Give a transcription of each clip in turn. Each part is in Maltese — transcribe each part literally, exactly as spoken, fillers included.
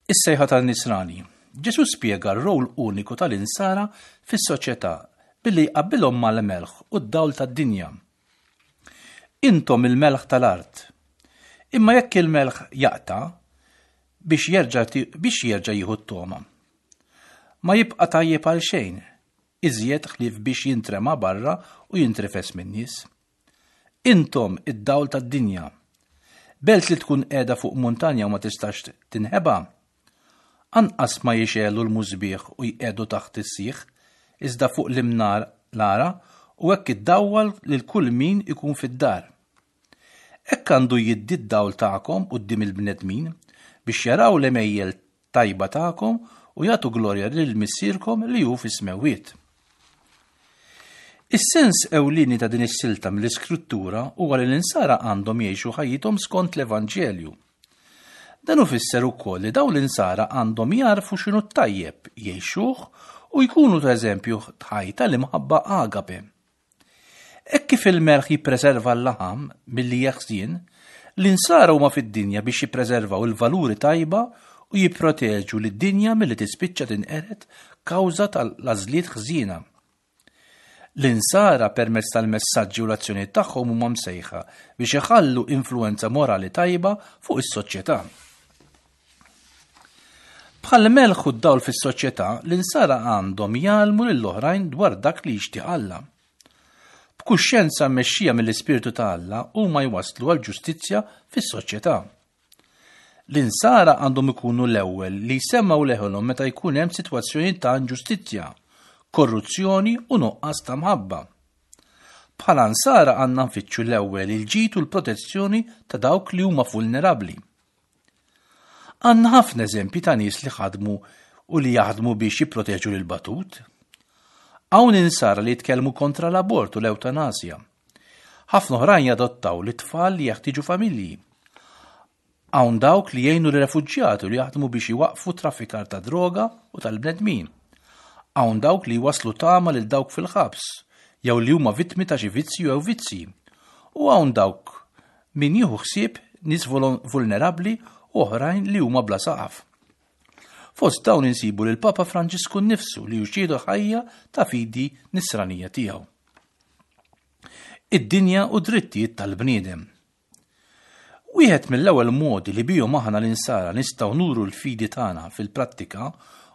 Is-sejħa tan-Nisrani. Ġesù spjega r-rol uniku tal-insara fis-soċjetà billi jqabbilhom mal-melħ u d-dawl tad-dinja. Intom il-melħ tal-art. Imma jekk il-melħ jaqta' biex jerġa' biex jerġa' jieħu t-togħma. Ma jibqa' tajjeb għal xejn, iżjed ħlief biex jintrema barra u jintrifes min-nies. Intom id-dawl tad-dinja. Belt li tkun qiegħda fuq muntanja u ma tistax tinħeba. Anqas ma jixegħlu l-musbieħ u jqiegħdu taħt is-sieħ, iżda fuq l-imnar lara u hekk iddawwal lil kull min ikun fid-dar. Hekk għandu jiddi d-dawl tagħkom quddiem il-bnedmin biex jaraw l-għemejjel tajba tagħkom u jagħtu glorja lil missierkom li hu fis-smewwiet. Is-sens ewlieni ta' din is-silta mill-Iskrittura huwa li l-insara għandhom jgħixu ħajjithom skont l-Evanġelju. Dan ifisser ukoll li dawn l-insara għandhom jagħrfu x'inhu t-tajjeb, jgħixuh u jkunu ta' eżempju ħaj tal-imħabba agape. Hekk kif il-melħ jippreserva l-laħam milli jeħżien, l-insara huma fid-dinja biex jippreservaw il-valuri tajba u jipproteġu lid-dinja milli tispiċċa tinqered kawża tal-għażliet ħżiena. L-insara permezz tal-messaġġi u l-azzjonijiet tagħhom huma msejħa biex iħallu influenza morali tajba fuq is-soċjetà. Bħal melħ u d-dawl fis-soċjetà, l-insara għandhom jgħallmu lill-oħrajn dwar dak li jixtieq Alla. B'kuxjenza mmexxija mill-Ispirtu ta' Alla huma jwasslu għal ġustizzja fis-soċjetà. L-insara għandhom ikunu l-ewwel li jsemmgħu leħenhom meta jkun hemm sitwazzjoni ta' inġustizzja, korruzzjoni u nuqqas ta' mħabba. Bħala nsara għandna nfittxu l-ewwel il-ġid u l-protezzjoni ta' dawk li huma vulnerabbli. Għandna ħafna eżempji ta' nies li ħadmu u li jaħdmu biex jipproteġu lil batut. Hawn insara li jitkellmu kontra l-abort u l-ewtanasja. Ħafna oħrajn jadottaw lit-tfal li jeħtieġu familji. Hawn dawk li jgħinu l-refuġjati u li jaħdmu biex iwaqqfu traffikar ta' droga u tal-bnedmin. Hawn dawk li jwaslu tama lil dawk fil-ħabs, jew li huma vittmi ta' xi vizzju jew vizzi. U hawn dawk min jieħu ħsieb nies vulnerabbli u oħrajn li huma bla saqaf. Fost dawn insibu lil Papa Franġisku nnifsu li hu xhieda ħajja ta' fidi nisranija tiegħu. Id-dinja u drittijiet tal-bniedem. Wieħed mill-ewwel modi li bihom aħna l-insara nistgħu nuru l-fidi tagħna fil-prattika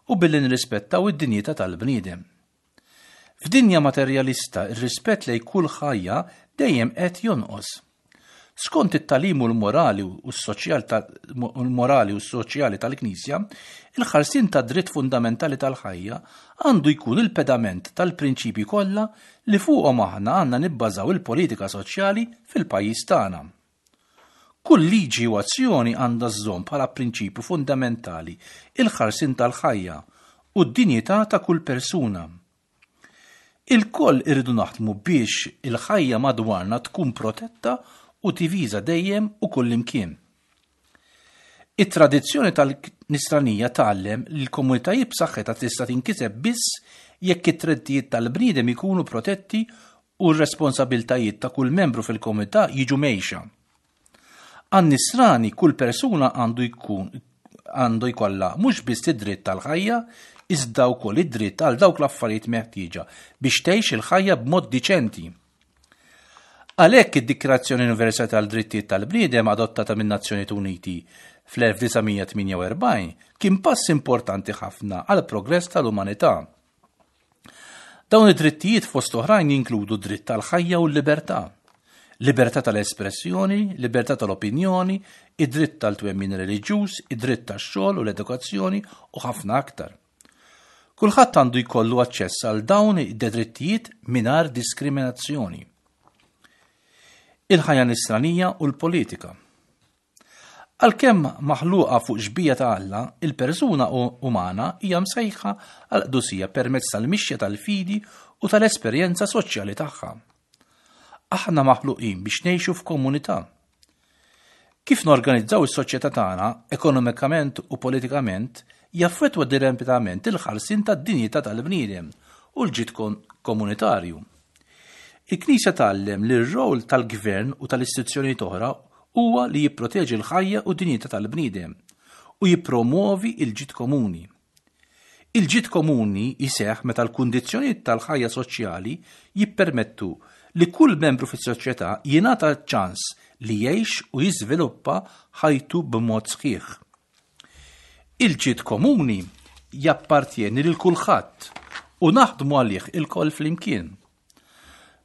hu billi nirrispettaw id-dinjità tal-bniedem. F'dinja materjalista, ir-rispett lejn kull ħajja dejjem qed jonqos. Skont it-tagħlim u l-morali u s-soċjal l-morali u s-soċjali tal-Knisja, il-ħarsien ta' dritt fundamentali tal-ħajja għandu jkun il-pedament tal-prinċipji kollha li fuqhom aħna għandna nibbażaw il-politika soċjali fil-pajjiż tagħna. Kull liġi u azzjoni għandha żżomm bħala prinċipju fundamentali il-ħarsien tal-ħajja u d-dinjità ta' kull persuna. Ilkoll irridu naħdmu biex il-ħajja madwarna tkun protetta u difiża dejjem u kullimkien. It-tradizzjoni tal-Nisranija tgħallem li l-komunitajiet b'saħħitha tista' tinkiseb biss jekk it-drittijiet tal-bniedem ikunu protetti u r-responsabiltajiet ta' kull membru fil-komunità jiġu mgħejxa. Għan-Nisrani kull persuna għandu jkun għandu jkollha mhux biss id-dritt tal-ħajja, iżda wkoll id-dritt għal dawk l-affarijiet meħtieġa biex tgħix il-ħajja b'mod diċenti. Għalhekk id-Dikjarazzjoni Universali tal-Drittijiet tal-Bniedem adottata min-Nazzjonijiet Uniti fl-elf disa' mija tmienja u erbgħin kien pass importanti ħafna għal progress tal-umanità. Dawn id-drittijiet fost oħrajn jinkludu dritt tal-ħajja u l-libertà, libertà tal-espressjoni, libertà tal-opinjoni, id-dritt tal-twemmin reliġjuż, id-dritt tax-xogħol u l-edukazzjoni u ħafna aktar. Kulħadd għandu jkollu aċċess għal dawn id-drittijiet mingħajr diskriminazzjoni. Il-ħajja nisranija u l-politika. Għalkemm maħluqa fuq xbieha ta' Alla, il-persuna u-, umana hija msejħa għal qdusija permezz tal-mixja tal-fidi u tal-esperjenza soċjali tagħha. Aħna maħluqin biex ngħixu f'komunità. Kif norganizzaw is-soċjetà tagħna ekonomikament u politikament jaffettwa direttament il-ħarsien tad-dinjità tal-bniedem u l-ġid kon-, komunitarju. Il-Knisja tgħallem li r-rol tal-gvern u tal-istituzzjonijiet oħra huwa li jipproteġi l-ħajja u d-dinjità tal-bniedem u jippromwovi l-ġid komuni. Il-ġid komuni jseħħ meta l-kundizzjonijiet tal-ħajja soċjali jippermettu li kull membru fis-soċjetà jingħata ċ-ċans li jgħix u jiżviluppa ħajtu b'mod sħiħ. Il-ġid komuni jappartjeni lil kulħadd u naħdmu għalih ilkoll flimkien.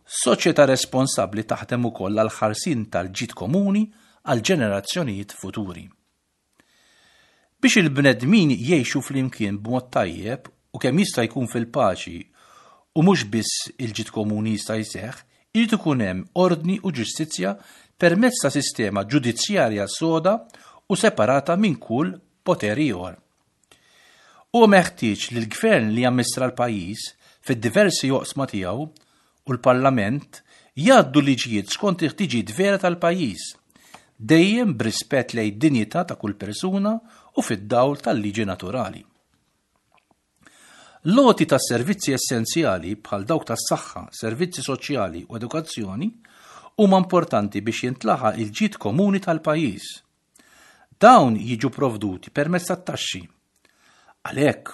Soċjetà responsabbli taħdem ukoll għall-ħarsien tal-ġid komuni għal ġenerazzjonijiet futuri. Biex il-bnedmin jgħixu flimkien b'mod tajjeb u kemm jista' jkun fil-paċi u mhux biss il-ġid komuni jista' jseħħ, irid ikun hemm ordni u ġustizzja permezz ta' sistema ġudizzjarja soda u separata minn kull poter ieħor. Huwa meħtieġ li l-gvern li jammistra l-pajjiż fid-diversi oqsma tiegħu u l-Parlament jgħaddu liġijiet skont il-ħtiġijiet vera tal-pajjiż, dejjem b'rispett lejn id-dinjità ta' kull persuna u fid-dawl tal-liġi naturali. L-għoti ta' servizzi essenzjali bħal dawk tas-saħħa, servizzi soċjali u edukazzjoni huma importanti biex jintlaħaq il-ġid komuni tal-pajjiż. Dawn jiġu provduti permezz tat-taxxi. Għalhekk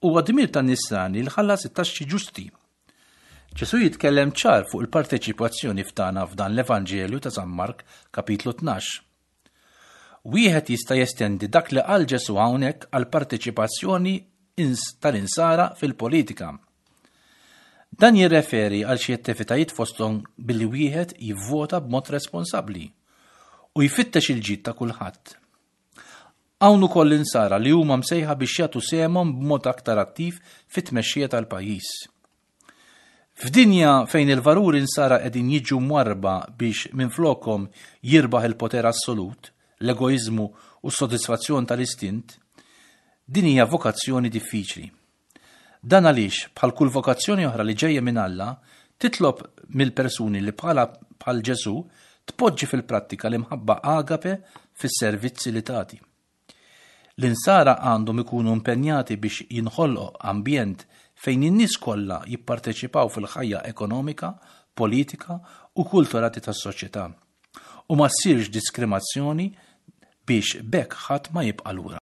huwa dmir tan-nisrani li jħallas it-taxxi ġusti. Ġesù jitkellem ċar fuq il-parteċipazzjoni tagħna f'dan l-Evanġelju ta' San Mark kapitlu tnax. Wieħed jista' jestendi dak li qal Ġesù hawnhekk għal parteċipazzjoni tal-insara fil-politika. Dan jirreferi għal xi attivitajiet fosthom billi wieħed jivvota b'mod responsabbli u jfittex il-ġid ta' kulħadd. Hawn ukoll l-insara li huma msejħa biex jagħtu sehemhom b'mod aktar attiv fit-tmexxija tal-pajjiż. F'dinja fejn il-valuri insara qegħdin jiġu mwarrba biex minflokhom jirbaħ il-poter assolut, l-egoiżmu u s-sodisfazzjon tal-istint, din hija vokazzjoni diffiċli. Dan għaliex, bħal kull vokazzjoni oħra li ġejja minn Alla, titlob mill-persuni li bħala bħal Ġesù tpoġġi fil-prattika l-imħabba agape fis-servizzi li tagħti. L-insara għandhom ikunu impenjati biex jinħolqu ambjent fejn in-nies kollha jipparteċipaw fil-ħajja ekonomika, politika u kulturali tas-soċjetà u ma ssirx diskriminazzjoni biex b'hekk ħadd ma jibqa' lura.